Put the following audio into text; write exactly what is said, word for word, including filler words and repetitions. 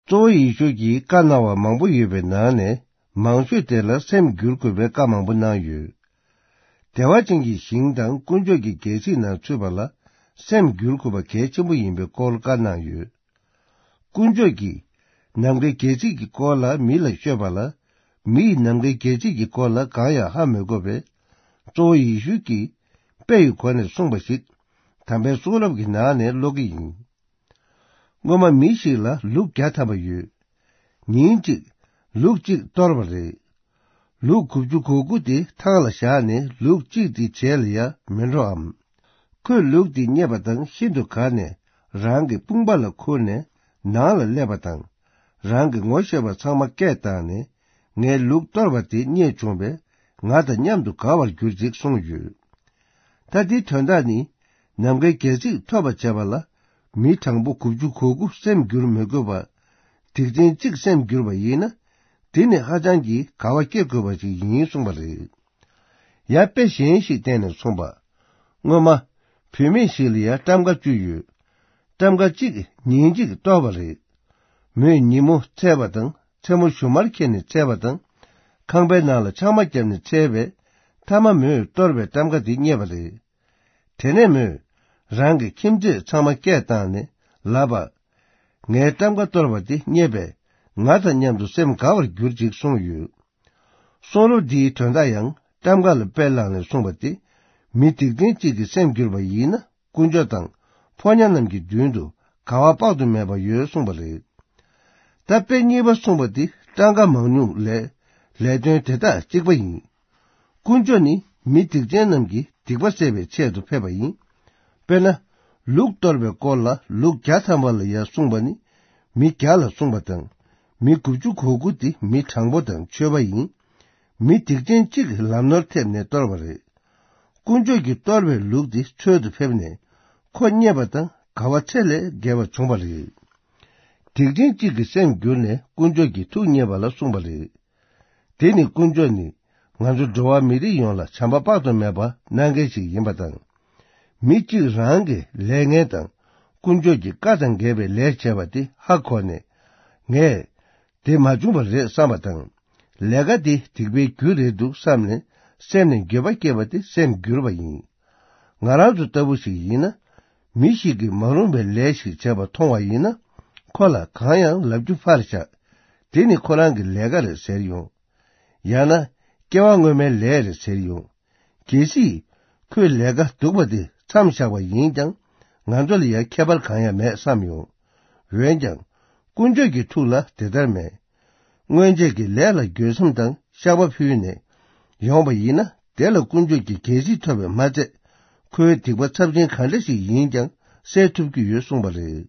གཙོ་བོ་ཡེ་ཤུ་གྱིས་བཀའ་གནང་བ་མང་པོ་ཡོད་པའི་ནང་ནས། མང་ཤོས་དེ་ལ་སེམས་བསྒྱུར་དགོས་པའི་བཀའ་མང་པོ་གནང་ཡོད། བདེ་བ་ཅན་གྱི་ཞིང་དང་དཀོན་མཆོག་གི་རྒྱལ་སྲིད་ནང་ཚུད་པ་ལ་སེམས་བསྒྱུར་དགོས་པ་གལ་ཆེན་པོ་ཡིན་པའི་སྐོར་བཀའ་གནང་ཡོད། དཀོན་མཆོག་གིས་ནམ་མཁའི་རྒྱལ་སྲིད་ཀྱི་སྐོར་ལ་མི་ལ་ཤོད་པ་ལ། མི་ཡིས་ནམ་མཁའི་རྒྱལ་སྲིད་ཀྱི་སྐོར་ལ་གང་ཡང་ཧ་མི་གོ་བས། གཙོ་བོ་ཡེ་ཤུ་གིས་དཔེ་ཡི་སྒོ་ནས་གསུངས་པ་ཞིག་དམ་པའི་གསུང་རབ་ཀྱི་ནང་ནས་ཀློག་གི་ཡིན། སྔོན་མ་མི་ཞིག་ལ་ལུག་བརྒྱ་ཐམ་པ་ཡོད། ཉིན་གཅིག་ལུག་གཅིག་གཏོར་བ་རེད། ལུག་དགུ་བཅུ་གོ་དགུ་དེ་ཐང་ལ་བཞག་ནས་ལུག་གཅིག་དེ་བྱེད་ལ་ཡ་མི་འགྲོའམ། ཁོས་ལུག་དེ་རྙེད་པ་དང་ཤིན་ཏུ་དགའ་ནས་རང་གི་དཔུང་པ་ལ་ཁུར་ནས་ནང་ལ་སླེབས་པ་དང་། རང་གི་ངོ་ཤེས་པ་ཚང་མ་སྐད་བཏང་ནས། ངས་ལུག་གཏོར་བ་དེ་རྙེད་བྱུང་བས་ང་དང་མཉམ་དུ་དགའ་བར་གྱུར་ཅིག་གསུངས་ཡོད། ད་དེའི་དོན་དག་ནི། ནམ་མཁའི་རྒྱལ་སྲིད་ཐོབ་པར་བྱེད་པ་ལ་མི་གྲངས་པོ་དགུ་བཅུ་གོ་དགུ་སེམས་བསྒྱུར་མི་དགོས་པ། སྡིག་ཅན་གཅིག་སེམས་བསྒྱུར་བ་ཡིན་ན། དེ་ནི་ཧ་ཅང་གི་དགའ་བ་སྐྱེ་དགོས་པ་ཞིག་ཡིན་གསུངས་པ་རེད། ཡང་དཔེ་གཞན་ཞིག་བསྟན་ནས་གསུངས་པ། སྔོན་མ། བུད་མེད་ཞིག་ལ་ཡང་ཏམ་ཀ་བཅུ་ཡོད། ཏམ་ཀ་གཅིག་ཉིན་གཅིག་གཏོར་བ་རེད། མོས་ཉིན་མོ་འཚལ་བ་དང་མཚན་མོ་ཞུན་མར་ཁྱེར་ནས་འཚལ་བ་དང་། ཁང་པའི་ནང་ལ་ཆང་མ་བརྒྱབ་ནས་འཚལ་བས། མཐའ་མ་མོས་གཏོར་བའི་ཏམ་ཀ་དེ་རྙེད་པ་རེད། དེ་ནས་མོས་རང་གི་ཁྱིམ་མཚེས་ཚང་མ་སྐད་བཏང་ནས་ལབ་པ། ངའི་ཏམ་ཀ་གཏོར་བ་དེ་རྙེད་པས་ང་དང་མཉམ་དུ་སེམས་དགའ་བར་གྱུར་ཅིག་གསུངས་ཡོད། གསུང་རབ་འདིའི་དོན་དག་ཡང་ཏམ་ཀ་ལ་དཔེ་བླངས་ནས་གསུངས་པ་སྟེ། མི་སྡིག་ཅན་གཅིག་གི་སེམས་བསྒྱུར་བ་ཡིན་ན་དཀོན་མཆོག་དང་ཕོ་ཉ་རྣམས་ཀྱི་མདུན་དུ་དགའ་བ་དཔག་ཏུ་མེད་པ་ཡོད་གསུངས་པ་རེད། ད་དཔེ་གཉིས་པ་གསུངས་པ་འདི་སྤྲང་ཀ་མང་ཉུང་ལས་ལས་དོན་དེ་དག་གཅིག་པ་ཡིན། དཀོན་མཆོག་ནི་མི་སྡིག་ཅན་རྣམས་ཀྱི་སྡིག་པ་སེལ་བའི་ཆེད་དུ་ཕེབས་པ་ཡིན། དཔེར་ན། ལུག་གཏོར་བའི་སྐོར་ལ་ལུག་བརྒྱ་ཐམ་པ་ལ་ཡང་གསུངས་པ་ནི། མི་བརྒྱ་ལ་གསུངས་པ་དང་། མི་དགུ་བཅུ་གོ་དགུ་དེ་མི་དྲང་པོ་དང་ཆོས་པ་ཡིན། མི་སྡིག་ཅན་གཅིག་གིས་ལམ་ནོར་ཐེབས་ནས་གཏོར་བ་རེད། དཀོན་མཆོག་གིས་གཏོར་བའི་ལུག་དེ་འཚོལ་དུ་ཕེབས་ནས་ཁོ་རྙེད་པ་དང་དགའ་བ་ཚད་ལས་བརྒལ་བ་བྱུང་བ་རེད། སྡིག་ཅན་གཅིག་གི་སེམས་བསྒྱུར་ནས་དཀོན་མཆོག་གི་ཐུགས་མཉེས་པ་ལ་གསུངས་པ་རེད། དེ་ནི་དཀོན་མཆོག་ནི་ང་ཚོ་འགྲོ་བ་མི་རིགས་ཡོངས་ལ་བྱམས་པ་དཔག་ཏུ་མེད་པ་གནང་མཁན་ཞིག་ཡིན་པ་དང་། མི་གཅིག་རང་གི་ལས་ངན་དང་དཀོན་མཆོག་གི་བཀའ་དང་འགལ་བའི་ལས་བྱས་པ་དེ་ཧ་གོ་ནས། ངས་དེ་མ་བྱུང་བ་རེད་བསམ་པ་དང་། ལས་ཀ་དེ་སྡིག་པའི་རྒྱུ་རེད་འདུག་བསམ་ནས་སེམས་ནས་འགྱོད་པ་སྐྱེས་པ་དེ་སེམས་བསྒྱུར་བ་ཡིན། ང་རང་ཚོ་ལྟ་བུ་ཞིག་ཡིན་ན། མི་ཞིག་གིས་མ་རུང་བའི་ལས་ཤིག་བྱས་པ་མཐོང་བ་ཡིན་ན། ཁོ་ལ་གང་ཡང་ལབ་རྒྱུ་ཕར་བཞག་དེ་ནི་ཁོ་རང་གི་ལས་ཀ་རེད་ཟེར་ཡོང་། ཡང་ན། སྐྱེ་བ་སྔོན་མའི་ལས་རེད་ཟེར་ཡོང་། གལ་སྲིད། ཁོས་ལས་ཀ་སྡུག་པ་དེ་མཚམས་བཞག་པ་ཡིན་ཀྱང་། ང་ཚོ་ལ་ཡང་ཁྱད་པར་གང་ཡང་མེད་བསམ་ཡོང་། འོན་ཀྱང་། དཀོན་མཆོག་གི་ཐུགས་ལ་དེ་ལྟར་མེད། སྔོན་ཆད་ཀྱི་ལས་ལ་འགྱོད་སེམས་དང་བཤགས་པ་ཕུལ་ནས། ཡོང་བ་ཡིན་ན། དེ་ལ་དཀོན་མཆོག་གི་དགེ་སྲིད་ཐོབ་པས་མ་ཚད། ཁོའི་སྡིག་པ་ཚབས་ཆེན་ག་འདྲ་ཞིག་ཡིན་ཀྱང་སེལ་ཐུབ་ཀྱི་ཡོད་གསུངས་པ་རེད།